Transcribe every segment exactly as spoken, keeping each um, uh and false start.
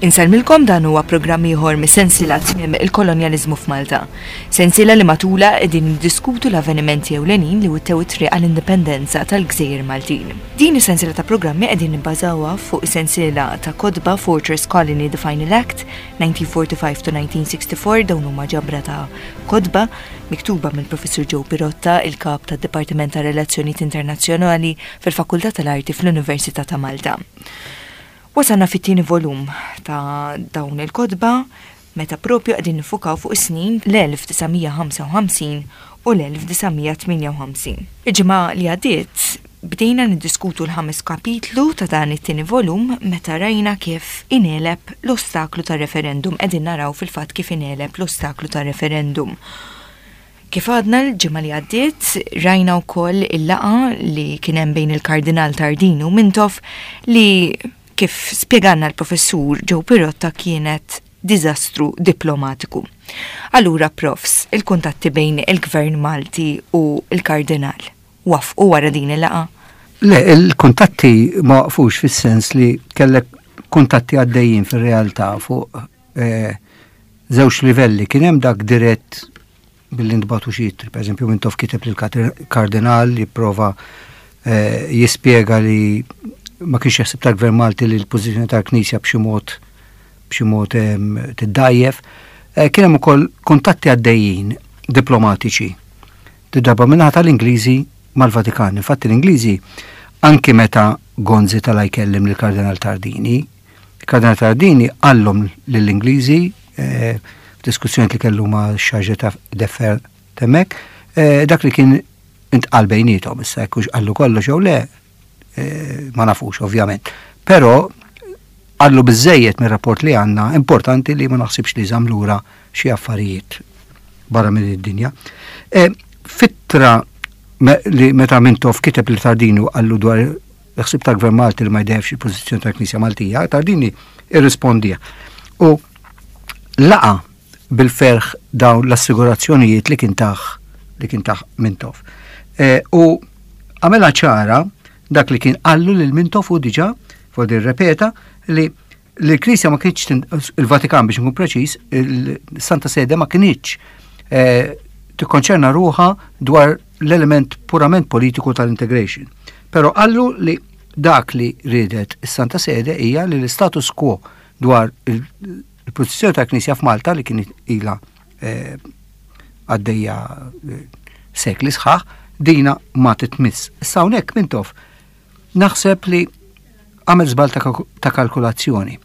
Insellmilkom dan huwa programm ieħor mis-sensiela tmiem il-kolonjaliżmu f'Malta. Sensiela li matula qegħdin niddiskutu l-avvenimenti ewlenin li wittew it-triq għall-indipendenza tal-Gżejjer Maltin. Din is-sensiela ta' programmi qegħdin nibbażawha fuq sensiela ta' kotba Fortress Colony The Final Act nineteen forty-five to nineteen sixty-four. Dawn huma ġabra ta' kotba miktuba mill-Professur Joe Pirotta, il-kap tad-Dipartiment ta' Relazzjonijiet Internazzjonali fil-Fakultà tal-Arti fl-Università ta' Malta. Wasalna fit-tieni volum ta' dawn il-kotba meta propju qegħdin nifukaw fuq is-snin l-elf disa' mija ħamsa u ħamsin u l-elf disa' mija tmienja u ħamsin. Il-ġimgħa li għaddiet bdejna niddiskutu l-ħames kapitlu ta' dan it-tieni volum meta rajna kif ingħeleb l-ostaklu ta' referendum. Qegħdin naraw fil-fatt kif ingħeleb l-ostaklu ta' referendum. Kif għadna l-ġimgħa li għaddiet, rajna wkoll il-laqgħa li kien hemm bejn il-Kardinal Tardini u Mintoff li, kif spjegalna l-Professur Joe Pirotta, kienet diżastru diplomatiku. Allura, profs, il-kuntatti bejn il-Gvern Malti u il-Kardinal waqfu wara din il-laqgħa? Le, il-kuntatti ma waqfux fis-sens li kellek kuntatti għaddejjin fil-realtà fuq eh, żewġ livelli. Kien hemm dak dirett billi ntbagħtu xi ittri, per eżempju Mintoff kiteb lill-Kardinal jipprova eh, jispjega li ma kienx jaħseb tal-Gvern Malti li l-pożizzjoni tal-Knisja b'xi mod b'xi mod tiddajjef. Eh, kien hemm ukoll kuntatti għaddejjin diplomatiċi. Darba min-naħa tal-Ingliżi mal-Vatikan. Infatti l-Ingliżi, anki meta Gonzi tela' jkellem lill-Kardinal Tardini, il-Kardinal Tardini qallhom lill-Ingliżi eh, f'diskussjoni li kellu ma' chargé d'affaires t'hemmhekk, eh, dak li kien intqal bejniethom, issa jekk qallu kollox jew le, eh, ma nafux ovvjament. Però qallu biżżejjed mir-rapport li għandna importanti li ma naħsibx li żamm lura xi affarijiet barra minn id-dinja. F'ittra li meta Mintoff kiteb lil Tardini qallu dwar il-ħsib ta' Gvern Malti li ma jdajjefx il-pożizzjoni ta' Knisja Maltija, Tardini irrispondih. U laqa bil-ferħ dawn l-assigurazzjonijiet li kien tah li kien tah Mintoff. E, u għamela ċara dak li kien qallu lil Mintoff u diġà, fodi rrepeta, li l-Knisja ma kienx, il-Vatikan biex nkun preċis, il-Santa Sede ma kienx e, tikkonċerna ruħha dwar l-element purament politiku tal-integration. Però qallu li dak li ridet is-Santa Sede hija li l-status quo dwar il-pożizzjoni ta' Knisja f'Malta li kien ila eh, għaddejja eh, sekli sħaħ, dina ma titmiss. Issa hawnhekk Mintoff naħseb li għamel żball ta' kalkulazzjoni.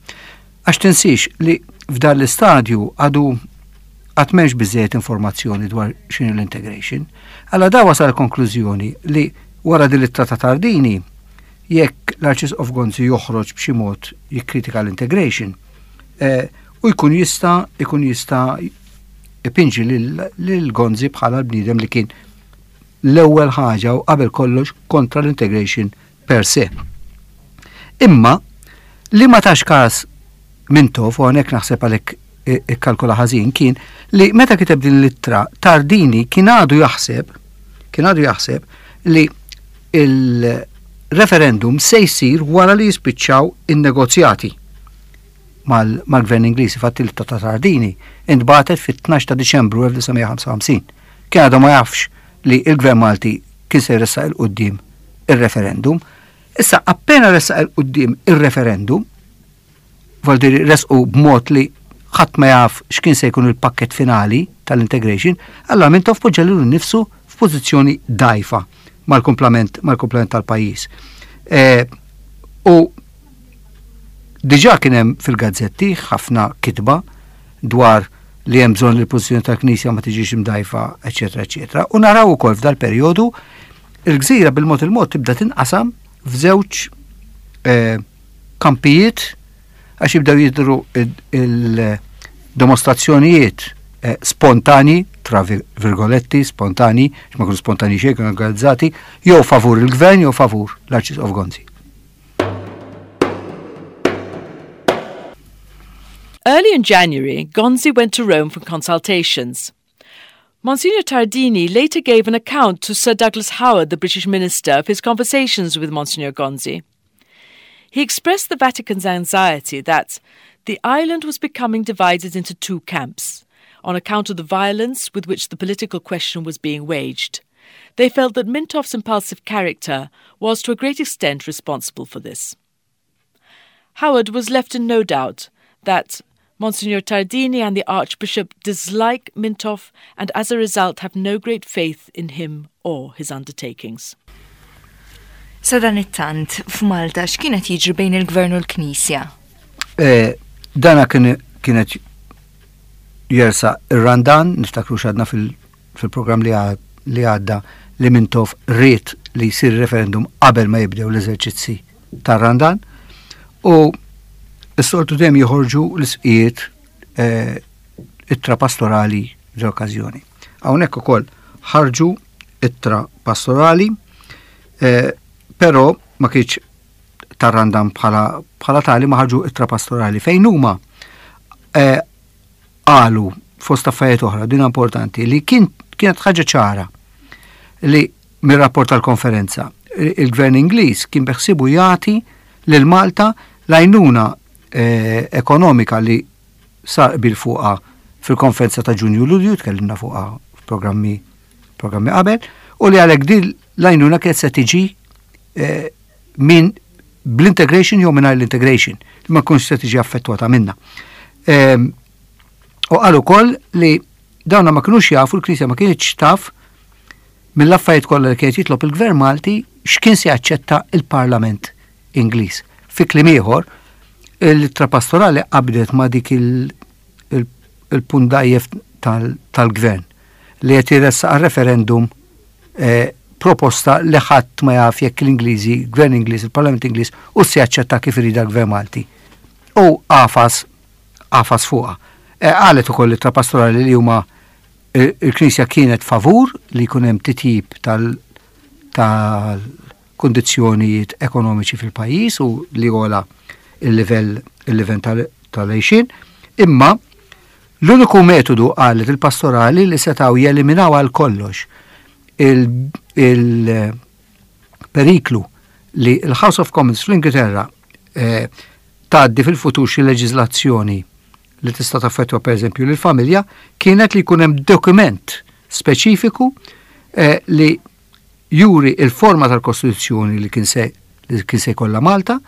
Għax tinsix li f'dan l-istadju għadu għad m'hemmx biżżejjed informazzjoni dwar x'inhi l-integration. Alla da wasal konklużjoni li wara din l-ittra ta' Tardini, jekk l-Arċisqof Gonzi joħroġ b'xi mod jikkritika l-integration, eh, u jkun jista' jkun jista' ipinġi lil Gonzi bħala l-bniedem li kien l-ewwel ħaġa u qabel kollox kontra l-integration per se. Imma li ma tax kas Mintoff, u hawnhekk naħseb għalhekk ikkalkola ħażin, kien li meta kiteb din l-ittra Tardini kien għadu jaħseb kien għadu jaħseb li il-referendum se jsir wara li jispiċċaw in-negozjati mal-gvern Ingliż. Fatti l ta' Tardini intbagħtet fit-tnax ta' Diċembru elf disa' mija ħamsa u ħamsin. Kien għadu ma jafx li il-gvern Malti kien se jressaq 'il quddiem il-referendum. Issa appena ressaq 'il quddiem il-referendum, vuol resqu b'mod li ħadd ma jaf x'kien se jkun il-pakket finali tal-integration, allora Mintoff poġġa lilu nnifsu f'pożizzjoni dajfa mal-kumplament mal-kumplament tal-pajjiż. E, u diġà kien hemm fil-gazzetti ħafna kitba dwar li hemm bżonn li l-pożizzjoni tal-Knisja ma tiġix imdajfa, eċetera, eċetera. U naraw ukoll f'dal perjodu il-gżira bil-mod il-mod tibda tinqasam f'żewġ eh, kampijiet għax jibdew jidru il-dimostrazzjonijiet eh, spontani, tra virgoletti, spontani, ma kienu spontani xejn, kienu organizzati, jew favur il-gvern jew favur l-Arċisqof Gonzi. Early in January, Gonzi went to Rome for consultations. Monsignor Tardini later gave an account to Sir Douglas Howard, the British minister, of his conversations with Monsignor Gonzi. He expressed the Vatican's anxiety that the island was becoming divided into two camps on account of the violence with which the political question was being waged. They felt that Mintoff's impulsive character was to a great extent responsible for this. Howard was left in no doubt that Monsignor Tardini and the Archbishop dislike Mintoff and as a result have no great faith in him or his undertakings. Sadanittant, f'Malta x'kien qed jiġri bejn il-Gvern u l-Knisja? Eh, dana kienet jersaq ir-Randan, niftakru x'għedna fil-programm li għadda li Mintoff ried li jsir referendum qabel ma jibdew l-eżerċizzi tar-Randan u s-soltu dejjem joħorġu l-isqijiet eh, ittra pastorali l-okkażjoni. Hawnhekk ukoll ħarġu ittra pastorali, eh, però ma kienx tar-Randan bħala tali ma ħarġu ittra pastorali fejn huma eh, qalu fost affarijiet oħra din importanti li kien kienet ħaġa ċara li mir-rapport tal-konferenza il-gvern Ingliż kien beħsibu jagħti lil Malta l-għajnuna eh, ekonomika li sar bil fuqha fil-konferenza ta' Ġunju Lulju, tkellimna fuqha f'programmi programmi qabel, u li għalhekk din l-għajnuna kienet se tiġi eh, minn bl-integration jew mingħajr l-integration, li ma tkunx se tiġi affettwata minna. Ehm, u qal ukoll li dawna ma kinux jafu l-Knisja ma kienx taf mill-affarijiet kollha li kienet jitlob il-Gvern Malti x'kien se jaċċetta il-Parlament Ingliż. Fi kliem ieħor, l-ittra pastorali qabdet ma dik il-punt dgħajjef tal-gvern li qed jressaq referendum eh, proposta li ħadd ma jaf jekk l-Ingliżi, gvern Ingliż, il-Parlament Ingliż, u se jaċċetta kif irid gvern Malti. U għafas għafas fuqha. Eh, qalet ukoll l-ittra pastorali li huma il-Knisja kienet favur li jkun hemm titjib tal- tal-kondizzjonijiet ekonomiċi fil-pajjiż u li jogħla il-livell il-livell tal-għixien, imma l-uniku metodu qalet il-pastorali li setaw jeliminaw għal kollox il-periklu li il-House of Commons fl-Ingilterra eh, tgħaddi fil-futur xi leġiżlazzjoni li tista' taffettwa pereżempju lill-familja kienet li jkun hemm dokument speċifiku eh, li juri il-forma tal-Kostituzzjoni li kien se li kien se jkollha Malta,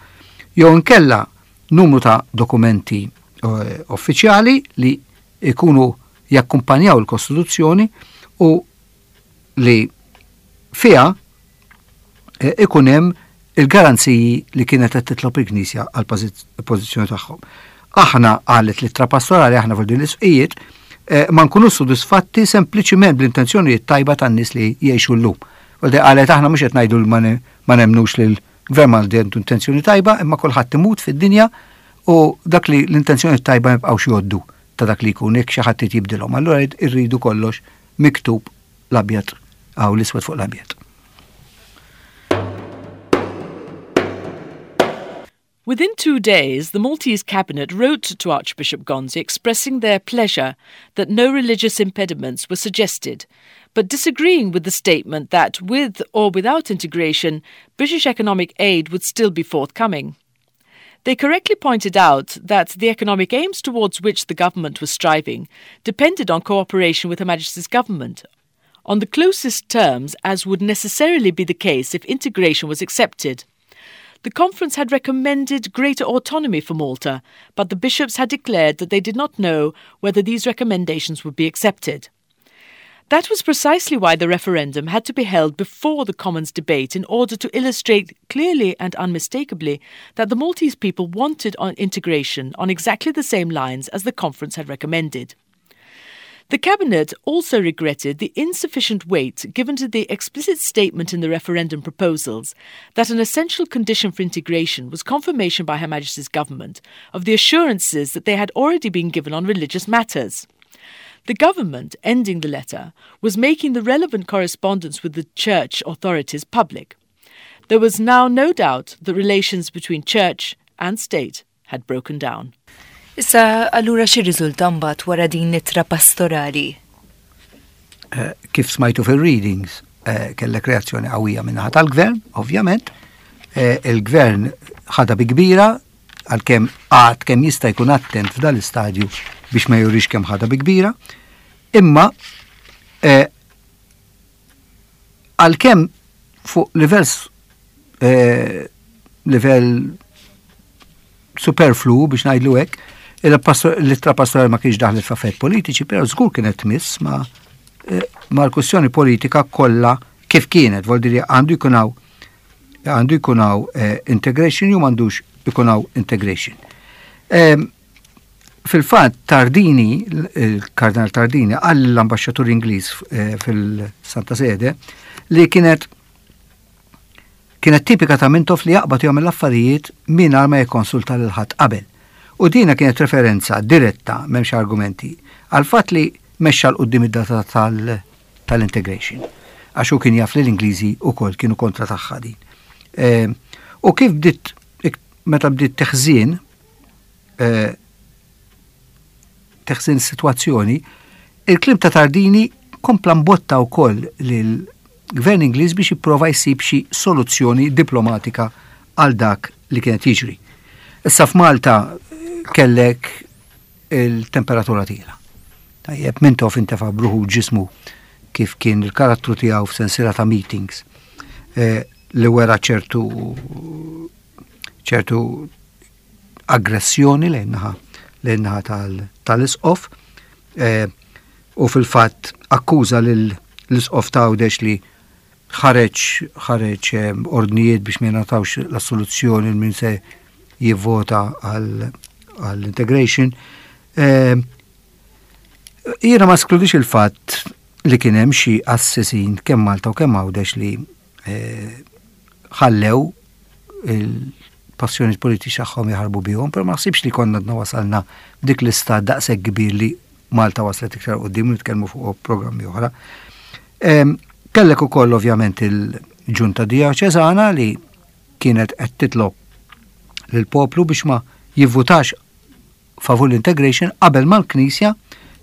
jew inkella numru ta' dokumenti eh, uffiċjali li ikunu jakkumpanjaw il-Kostituzzjoni u li fiha eh, ikun hemm il-garanziji li kienet qed titlob il-Knisja għal pożizzjoni tagħhom. Aħna qalet l-ittra pastorali aħna fuq din l-isqijiet eh, ma nkunu sodisfatti sempliċiment bl-intenzjonijiet tajba tan-nies li jgħixu llum. U qalet aħna mhux qed ngħidu ma nemnux li l-gvern Malti għandu intenzjoni tajba, imma kulħadd imut fid-dinja u dak li l-intenzjoni tajba jibqgħux jgħoddu ta' dak li jkun jekk xi ħadd jibdilhom. Allura irridu kollox miktub l-abjad aw l-iswed fuq l-abjad. Within two days, the Maltese cabinet wrote to Archbishop Gonzi expressing their pleasure that no religious impediments were suggested, but disagreeing with the statement that, with or without integration, British economic aid would still be forthcoming. They correctly pointed out that the economic aims towards which the government was striving depended on cooperation with Her Majesty's government, on the closest terms as would necessarily be the case if integration was accepted. The conference had recommended greater autonomy for Malta, but the bishops had declared that they did not know whether these recommendations would be accepted. That was precisely why the referendum had to be held before the Commons debate in order to illustrate clearly and unmistakably that the Maltese people wanted on integration on exactly the same lines as the conference had recommended. The Cabinet also regretted the insufficient weight given to the explicit statement in the referendum proposals that an essential condition for integration was confirmation by Her Majesty's government of the assurances that they had already been given on religious matters. The government, ending the letter, was making the relevant correspondence with the church authorities public. There was now no doubt that relations between church and state had broken down. Issa, allura x'irriżulta mbagħad wara din l-ittra pastorali? Eh, kif smajtu fil-readings, eh, kellek reazzjoni qawwija min-naħa tal-gvern, ovvjament, Eh, il-gvern ħadha bi kbira, għalkemm għad kemm jista' jkun attent f'dal-istadju biex ma jurix kemm ħadha bi kbira, imma eh, għalkemm fuq livell eh, livell superflu, biex ngħidlu hekk, l-ittra pastorali ma kienx daħlet f'affarijiet politiċi, però żgur kienet tmiss ma eh, ma l-kwestjoni politika kollha kif kienet, vuol dire għandu jkun hawn għandu jkun hawn eh, integration jew m'għandux ikun hawn integration. Fil-fatt Tardini, il-Kardinal Tardini, qal l-ambasċatur Ingliż eh, fil-Santa Sede li kienet kienet tipika ta' Mintoff li jaqbad jagħmel l-affarijiet mingħajr ma jikkonsulta lil ħadd qabel. U dina kienet referenza diretta, m'hemmx argumenti, għal fatt li mexxa 'l quddiem id-data tal-integration. Għax hu kien jaf li l-Ingliżi wkoll kienu kontra tagħha din. U kif bdiet, meta bdiet teħżien, eh, teħżien situazzjoni, il-kliem ta' Tardini kompla mbotta wkoll lill-gvern Ingliż biex jipprova jsib xi soluzzjoni diplomatika għal dak li kienet jiġri. Issa f'Malta kellek il-temperatura tiela'. Tajjeb, Mintoff intefa' b'ruħu ġismu, kif kien il-karattru tiegħu, f'sensiela ta' meetings eh, li wera ċertu ċertu aggressjoni lejn naħa lejn naħa tal-isqof eh, u fil-fatt akkuża l-isqof ta' Għawdex li ħareġ ħareġ eh, ordnijiet biex ma jingħatawx l-assoluzzjoni min se jivvota għall-integration. Eh, jiena ma neskludix il-fatt li kien hemm xi qassisin kemm Malta u kemm Għawdex li ħallew il-passjoni politiċi tagħhom jaħarbu bihom, però ma naħsibx li konna għadna wasalna dik l-istat daqshekk kbir li Malta waslet iktar quddiem, nitkellmu fuq programmi oħra. Kellek ukoll ovvjament il-ġunta dioċesana li kienet qed titlob lill-poplu biex ma jivvutax favur l-integration qabel ma l-Knisja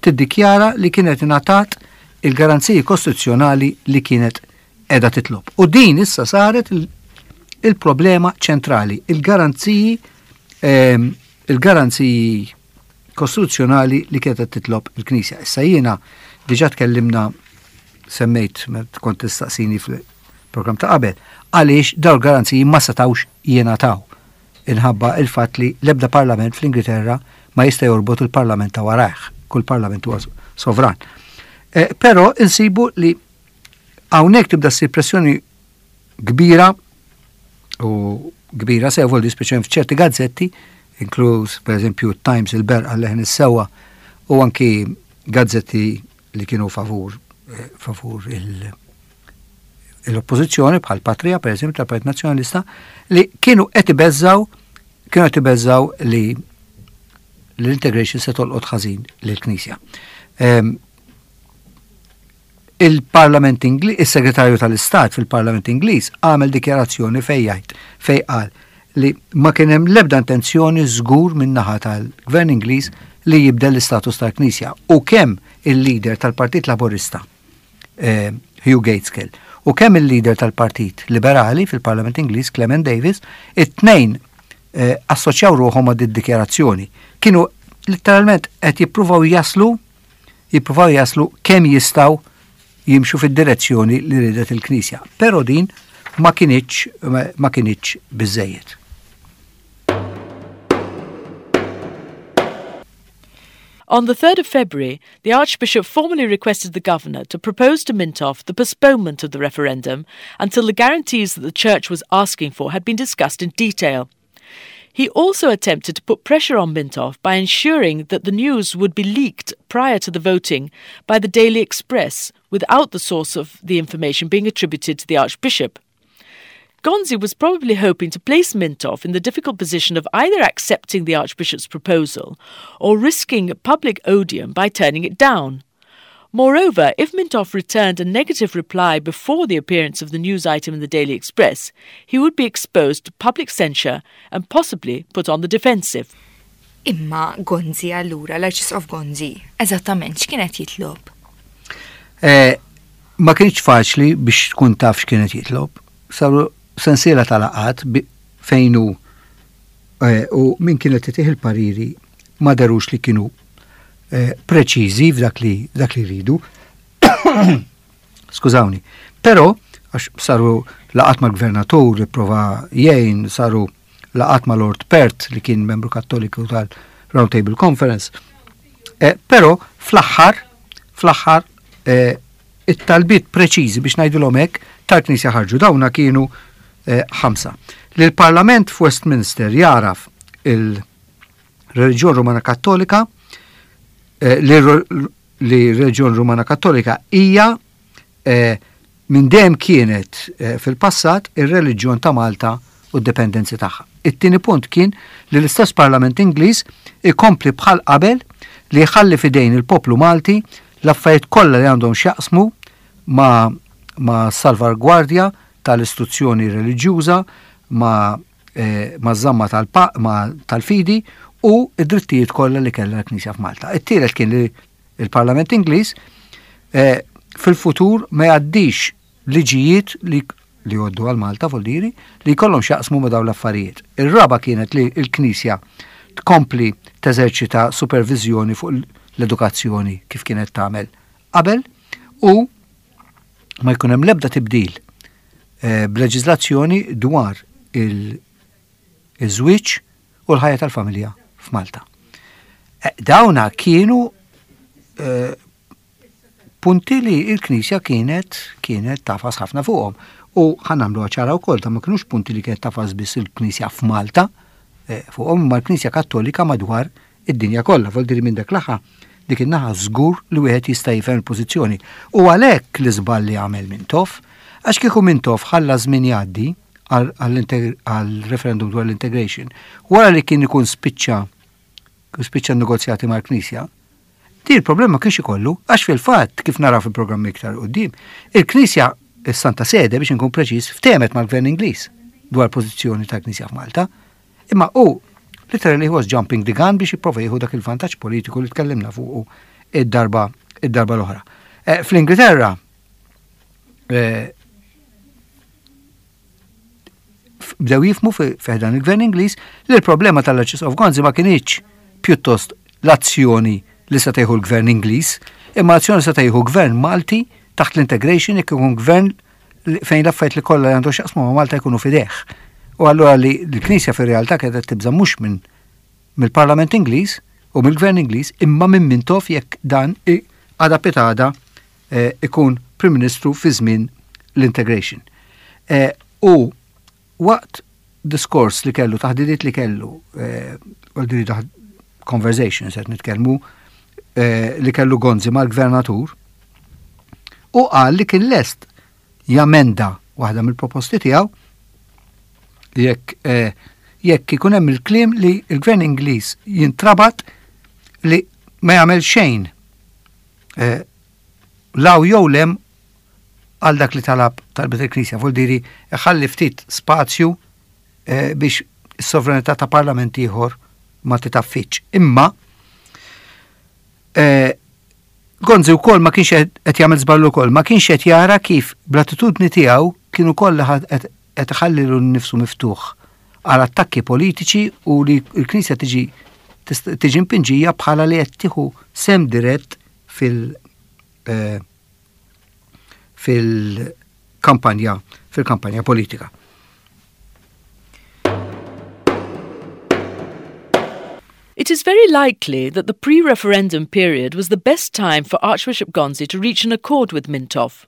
tiddikjara li kienet ingħatat il-garanziji kostituzzjonali li kienet qiegħda titlob. U din issa saret il-problema ċentrali, il-garanziji ehm, il-garanziji kostituzzjonali li kienet titlob il-Knisja. Issa jiena diġà tkellimna, semmejt kont tistaqsini fil-program ta' qabel, għaliex daw garanziji ma setawx jingħataw inħabba il-fatt li l-ebda parlament fl-Ingilterra ma jista' jorbot il-parlament ta' warajh, kull parlament huwa sovran. Eh, però insibu li hawnhekk tibda ssir pressjoni kbira u kbira sew, voldi speċjalment f'ċerti gazzetti, inkluż per eżempju Times, il-Berqa, Leħen is-Sewwa u anki gazzetti li kienu favur eh, favur il- l-oppożizzjoni bħal Patria, per eżempju, tal-Partit Nazzjonalista, li kienu qed ibeżżaw kienu qed ibeżżaw li l-integration se tolqot ħażin lill-Knisja. Ehm, il-Parlament Ingliż, il-Segretarju tal-Istat fil-Parlament Ingliż għamel dikjarazzjoni fej jgħid, fej qal li ma kien hemm l-ebda intenzjoni żgur min-naħa tal-Gvern Ingliż li jibdel l-istatus tal-Knisja, u kemm il-leader tal-Partit Laburista eh, Hugh Gaitskell u kemm il-leader tal-Partit Liberali fil-Parlament Ingliż Clement Davis, it-tnejn eh, assoċjaw ruħhom ma' dikjarazzjoni. Kienu letteralment qed jippruvaw jaslu jippruvaw jaslu kemm jistgħu jimxu fid-direzzjoni li ridet il-Knisja. Però din ma kinitx ma kinitx biżejjed. On the third of February, the Archbishop formally requested the governor to propose to Mintoff the postponement of the referendum until the guarantees that the Church was asking for had been discussed in detail. He also attempted to put pressure on Mintoff by ensuring that the news would be leaked prior to the voting by the Daily Express without the source of the information being attributed to the Archbishop. Gonzi was probably hoping to place Mintoff in the difficult position of either accepting the Archbishop's proposal or risking public odium by turning it down. Moreover, if Mintoff returned a negative reply before the appearance of the news item in the Daily Express, he would be exposed to public censure and possibly put on the defensive. Imma Gonzi allura, l-Arċisqof Gonzi, eżattament x'kienet jitlob? Eh, ma kienx faċli biex tkun taf x'kienet jitlob. Saru sensiela ta' laqgħat fejn hu eh, u min kienet itih il-pariri ma derux li kienu eh, preċiżi f'dak li dak li rridu. Skużawni. Però għax saru laqgħat mal-gvernatur li prova jgħin, saru laqgħat ma' Lord Perth li kien membru Kattoliku tal-Round Table Conference. Eh, però fl-aħħar, fl-aħħar eh, it-talbiet preċiżi, biex ngħidulhom hekk, tal-Knisja ħarġu. Dawna kienu eh, ħamsa. Li l-Parlament f'Westminster jagħraf il-Reliġjon Rumana Kattolika, eh, li li reliġjon Rumana Kattolika hija eh, minn dejjem kienet eh, fil-passat ir-reliġjon ta' Malta u d-dipendenzi tagħha. It-tieni punt kien li l-istess Parlament Ingliż ikompli bħal qabel li jħalli fidejn il-poplu Malti l-affarijiet kollha li għandhom x'jaqsmu ma' ma' salvargwardja tal-istruzzjoni reliġjuża, ma' eh, ma' żamma tal-fidi u id-drittijiet kollha li kellha l-Knisja f'Malta. It-tielet kien li il-Parlament Ingliż eh, fil-futur ma jgħaddix liġijiet li li jgħoddu għal Malta, voldiri, li jkollhom x'jaqsmu ma' dawn l-affarijiet. Ir-raba kienet li l-Knisja tkompli teżerċita supervizjoni fuq l-edukazzjoni kif kienet tagħmel qabel u ma jkun hemm l-ebda tibdil eh, b'leġiżlazzjoni dwar il-żwieġ u l-ħajja tal-familja f'Malta. Eh, dawna kienu eh, punti li il-Knisja kienet kienet tagħfas ħafna fuqhom. U ħa nagħmlu ċara wkoll ta' ma kinux punti li kienet tagħfas biss il-Knisja f'Malta fuqhom, ma l-Knisja Kattolika madwar id-dinja kollha. Vuol minn dak laħa dik in-naħa żgur li wieħed jista' jifhem il-pożizzjoni. U għalhekk l-iżball li għamel Mintoff, għax kieku Mintoff ħalla żmien jgħaddi għal-referendum dwar l-integration, wara li kien ikun spiċċa spiċċa negozjati mal-Knisja, di il-problema kienx ikollu, għax fil-fatt, kif nara fil-programmi iktar quddiem, il-Knisja, il-Santa Sede, biex nkun preċiż, ftehmet mal-Gvern Ingliż dwar pożizzjoni tal-Knisja f'Malta. Imma u literally he was jumping the gun biex jipprova jieħu dak il-vantaġġ politiku li tkellimna fuq id-darba id-darba l-oħra. Eh, Fl-Ingilterra eh, bdew jifhmu fi dan il-Gvern Ingliż li l-problema tal-Arċisqof Gonzi ma kinitx pjuttost l-azzjoni li se tieħu l-Gvern Ingliż, imma azzjoni se tieħu Gvern Malti taħt l-integration jekk ikun gvern fejn l-affarijiet li kollha li għandu x'jaqsmu ma' Malta jkunu fideh. U allura li l-Knisja fir-realtà kienet tibża mhux minn mill-Parlament Ingliż u mill-Gvern Ingliż imma minn Mintoff jekk dan għada pitgħada eh, ikun Prim Ministru fi żmien l-integration. Eh, u waqt diskors li kellu, taħdidiet li kellu, eh, conversations qed nitkellmu, li kellu Gonzi mal-gvernatur, u qal li kien lest jamenda waħda mill-proposti tiegħu jekk jekk ikun hemm il-kliem li l-Gvern Ingliż jintrabat li ma jagħmel xejn 'l hawn jew 'l hemm għal dak li talab talbet il-Knisja, vuol diri ħalli ftit spazju biex is-sovranità ta' parlament ieħor ma titaffiċ. Imma Gonzi wkoll ma kienx qed jagħmel żball ukoll, ma kienx qed jara kif bl-attitudni tiegħu kienu kollha qed iħalli nifsu miftuħ għal attakki politiċi u li l-Knisja tiġi tiġi mpinġija bħala li qed tieħu sehem dirett fil- eh, fil-kampanja fil-kampanja politika. It is very likely that the pre-referendum period was the best time for Archbishop Gonzi to reach an accord with Mintoff.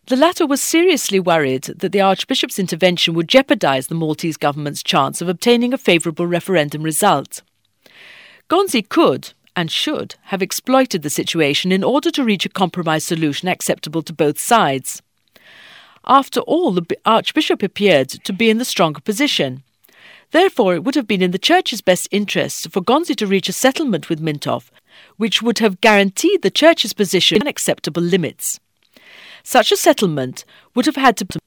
The latter was seriously worried that the Archbishop's intervention would jeopardise the Maltese government's chance of obtaining a favourable referendum result. Gonzi could, and should, have exploited the situation in order to reach a compromise solution acceptable to both sides. After all, the Archbishop appeared to be in the stronger position. Therefore, it would have been in the Church's best interests for Gonzi to reach a settlement with Mintoff, which would have guaranteed the Church's position and acceptable limits. Such a settlement would have had to...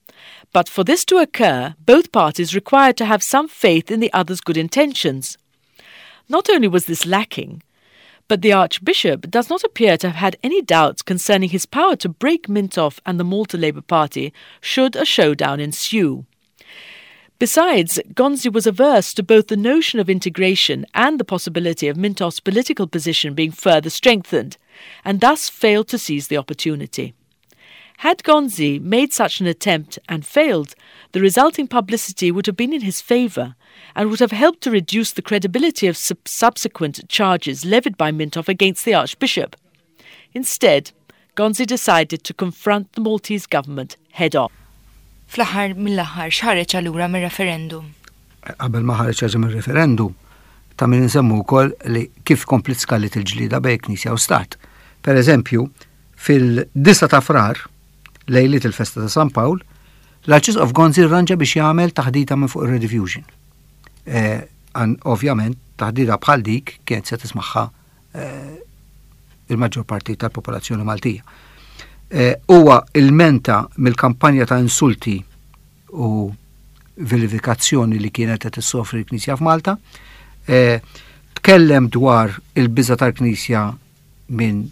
But for this to occur, both parties required to have some faith in the other's good intentions. Not only was this lacking, but the Archbishop does not appear to have had any doubts concerning his power to break Mintoff and the Malta Labour Party should a showdown ensue. Besides, Gonzi was averse to both the notion of integration and the possibility of Mintoff's political position being further strengthened, and thus failed to seize the opportunity. Had Gonzi made such an attempt and failed, the resulting publicity would have been in his favour and would have helped to reduce the credibility of sub- subsequent charges levied by Mintoff against the Archbishop. Instead, Gonzi decided to confront the Maltese government head on. Fl-aħħar mill-aħħar x'ħareġ allura mir-referendum? Qabel ma ħareġ ħaġa mir-referendum, ta' min nsemmu wkoll li kif komplet skalit il-ġlida bejn Knisja u Stat. Per eżempju, fid-disgħa ta' Frar, lejliet il-festa ta' San Pawl, l-Arċisqof Gonzi rranġa biex jagħmel taħdita minn fuq il-Rediffusion. Eh, ovvjament, taħdita bħal dik kienet se tismagħha eh, il-maġġor parti tal-popolazzjoni Maltija. Eh, huwa ilmenta mill-kampanja ta' insulti u vilifikazzjoni li kienet qed issofri l-Knisja f'Malta. Eh, tkellem dwar il-biża tal-Knisja minn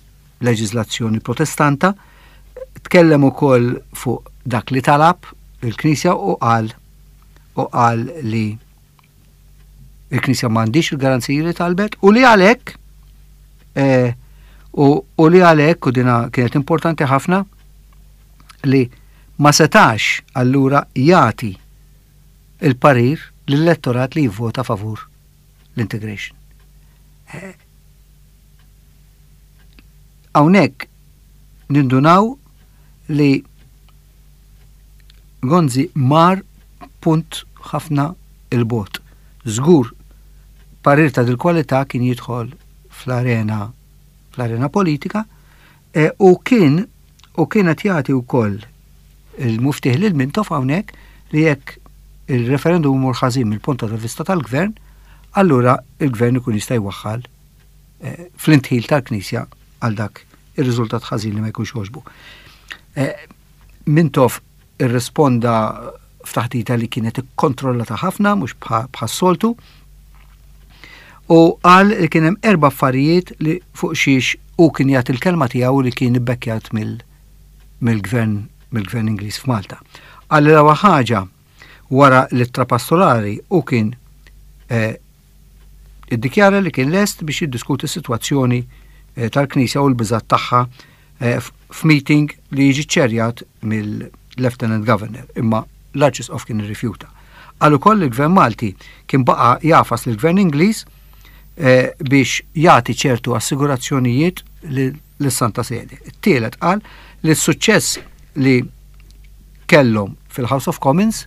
leġiżlazzjoni protestanta, tkellem ukoll fuq dak li talab il-Knisja u qal u qal li il-Knisja m'għandix il-garanziji li talbet u li għalhekk eh, u, u li għalhekk u dina kienet importanti ħafna li ma setax allura jagħti il-parir lill-elettorat li jivvota favur l-integration. Eh, hawnhekk nindunaw li Gonzi mar punt ħafna 'il bogħod. Żgur, parir ta' dil-kwalità kien jidħol fl-arena fl-arena politika e, u kien u kienet jagħti wkoll il-muftieħ lil Mintoff hawnhekk li jekk il-referendum imur ħażin mill-punt ta' vista tal-gvern, allura il-gvern ikun jista' jwaħħal e, fl-indħil tal-Knisja għal dak ir-riżultat ħażin li ma jkunx għoġbu. E, Mintoff irrisponda f'taħdita li kienet ikkontrollata ħafna, mhux bħas-soltu, u qal li kien hemm erba' affarijiet li fuq xiex u kien jagħti l-kelma tiegħu li kien ibbekkjat mill-gvern mill-gvern Ingliż f'Malta. Qal li l-ewwel ħaġa, wara l-ittra pastorali, u kien eh, iddikjara li kien lest biex jiddiskuti s-sitwazzjoni eh, tal-Knisja u l-biżat tagħha eh, f'meeting li jiġi ċerjat mill-Lieutenant Governor, imma l-Arċisqof kien irrifjuta. Qal ukoll il-Gvern Malti kien baqa' jagħfas lill-Gvern Ingliż eh, biex jagħti ċertu assigurazzjonijiet lis-Santa Sede. Tielet, qal li s-suċċess li kellhom fil-House of Commons,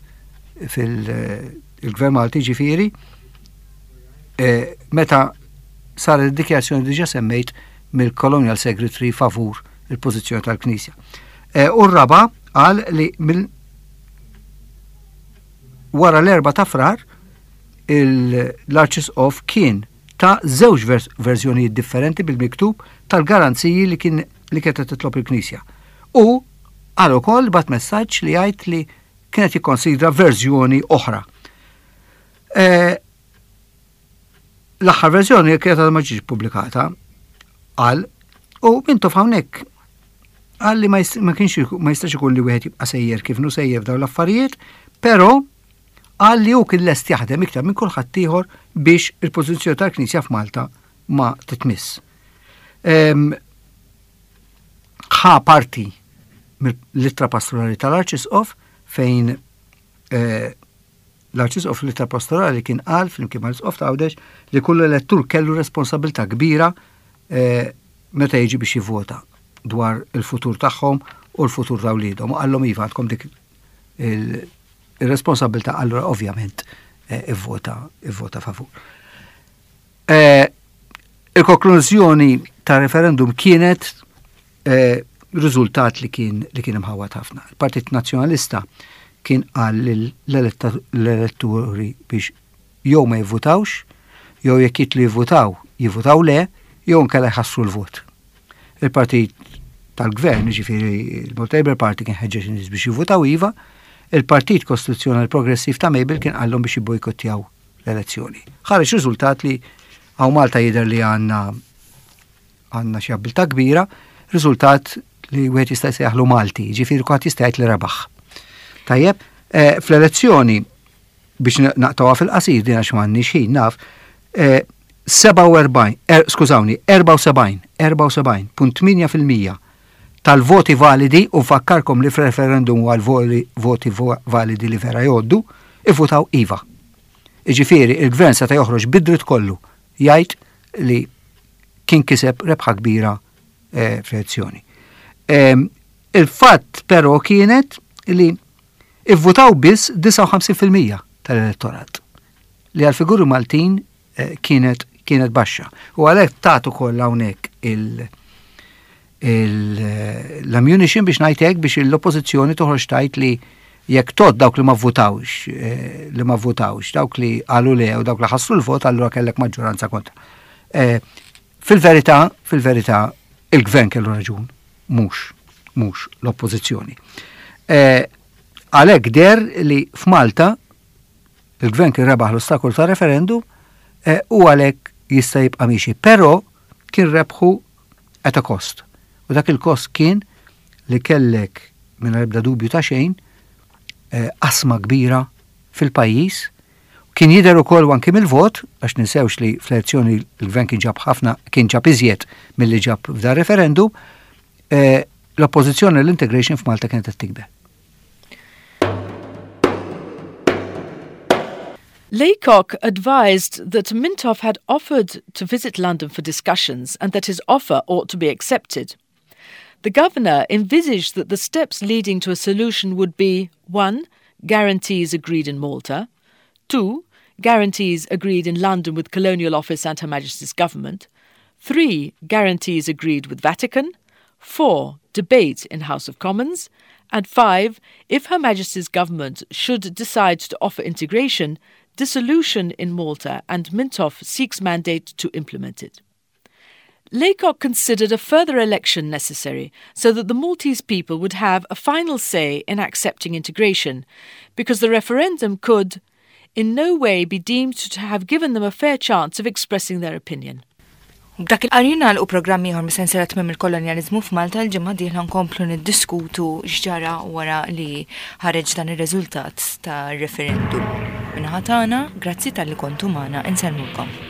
fil-Gvern Malti ġifieri, eh, meta sar id-dikjarazzjoni diġa semmejt mill-Colonial Secretary favur il-pożizzjoni tal-Knisja. Eh, u r-raba, qal li mill wara l-erbgħa ta' Frar l-Arċisqof kien ta żewġ verżjonijiet differenti bil-miktub tal-garanziji li kien li kienet titlob il-Knisja. U qal ukoll bagħat messaġġ li jgħid li kienet jikkonsidra verżjoni oħra. E, l-aħħar verżjoni kienet ma ġietx pubblikata, qal, u Mintoff hawnhekk qal li ma kienx ma jistax ikun li wieħed jibqa' sejjer kif inhu sejjer dawn l-affarijiet, però qal li hu kien lest jaħdem iktar minn kulħadd ieħor biex il-pożizzjoni tal-Knisja f'Malta ma titmiss. Ħa parti mill-ittra pastorali tal-Arċisqof fejn eh, l-Arċisqof l-ittra pastorali kien qal flimkien mal-Isqof ta' Għawdex li kull elettur kellu responsabilità kbira eh, meta jiġi biex jivvota dwar il-futur tagħhom u l-futur ta' wliedhom. U qallhom, iva, għandkom dik il-responsabilità, allura ovvjament eh, ivvota ivvota favur. Il-konklużjoni ta' referendum kienet riżultat li kien li kien imħawat ħafna. Il-Partit Nazzjonalista kien qal l-elettori biex jew ma jivvutawx, jew jekk jitlu jivvutaw, jivvutaw le, jew nkella jħassru l-vot. Il-Partit tal-Gvern, ġifieri il-Malta Labour Party, kien ħeġġeġ nies biex jivvutaw iva, il-Partit Kostituzzjonali Progressiv ta' Mabel kien qallhom biex jibbojkottjaw l-elezzjoni. Ħareġ riżultat li hawn Malta jidher li għandna għandna xi abbiltà kbira, riżultat li wieħed jista' jsejjaħlu Malti, ġifieri kulħadd jista' jgħid li rebaħ. Tajjeb, eh, fl-elezzjoni Biex naqtgħuha fil-qasir din għax m'għandniex ħin naf, sebgħa u erbgħin, er, skużawni, erbgħa u sebgħin, erbgħa u sebgħin punt tmienja fil-mija tal-voti validi, u fakkarkom li f'referendum għal voti validi li vera jgħoddu, ivvutaw iva. Iġifieri, il-gvern seta' joħroġ bid-dritt kollu jgħid li kien kiseb rebħa kbira eh, fl-elezzjoni. Il-fatt però kienet li ivvutaw biss disgħa u ħamsin fil-mija tal-elettorat li għal-figuri Maltin eh, kienet kienet baxxa. U għalhekk tagħtu kollha hawnhekk il- l-ammunition biex ngħidlek biex l-oppożizzjoni toħroġ tgħid li jekk tgħodd dawk li ma votawx, eh, li ma votawx, dawk li qalu le u dawk li ħassru l-vot, allura kellek maġġoranza kontra. Eh, fil-verità, fil-verità, il-gvern kellu raġun, mhux, mhux l-oppożizzjoni. Eh, għalhekk deher li f'Malta il-gvern kien rebaħ l-ostakol ta' referendum u għalhekk jista' jibqa' miexi, però kien rebħu at a cost. U dak il-kost kien li kellek minn ebda dubju ta' xejn qasma kbira fil-pajjiż. Kien jidher ukoll anki mill-vot, għax ninsewx li fl-elezzjoni l-gvern kien ġab ħafna, kien ġab iżjed milli ġab f'dan referendum, l-oppożizzjoni l-integration f'Malta kienet qed tikber. Laycock advised that Mintoff had offered to visit London for discussions and that his offer ought to be accepted. The governor envisaged that the steps leading to a solution would be one. Guarantees agreed in Malta, two. Guarantees agreed in London with Colonial Office and Her Majesty's Government, three. Guarantees agreed with Vatican, four. Debate in House of Commons, and five. If Her Majesty's Government should decide to offer integration, dissolution in Malta, and Mintoff seeks mandate to implement it. Laycock considered a further election necessary so that the Maltese people would have a final say in accepting integration, because the referendum could in no way be deemed to have given them a fair chance of expressing their opinion. B'dak il-qari nagħlqu programm ieħor mis-sensiela Tmiem il-Kolonjaliżmu f'Malta. Il-ġimgħa dieħla nkomplu niddiskutu x'ġara wara li ħareġ dan ir-riżultat ta' referendum. Min-naħa tagħna, grazzi talli kontu magħna, insellmulkom.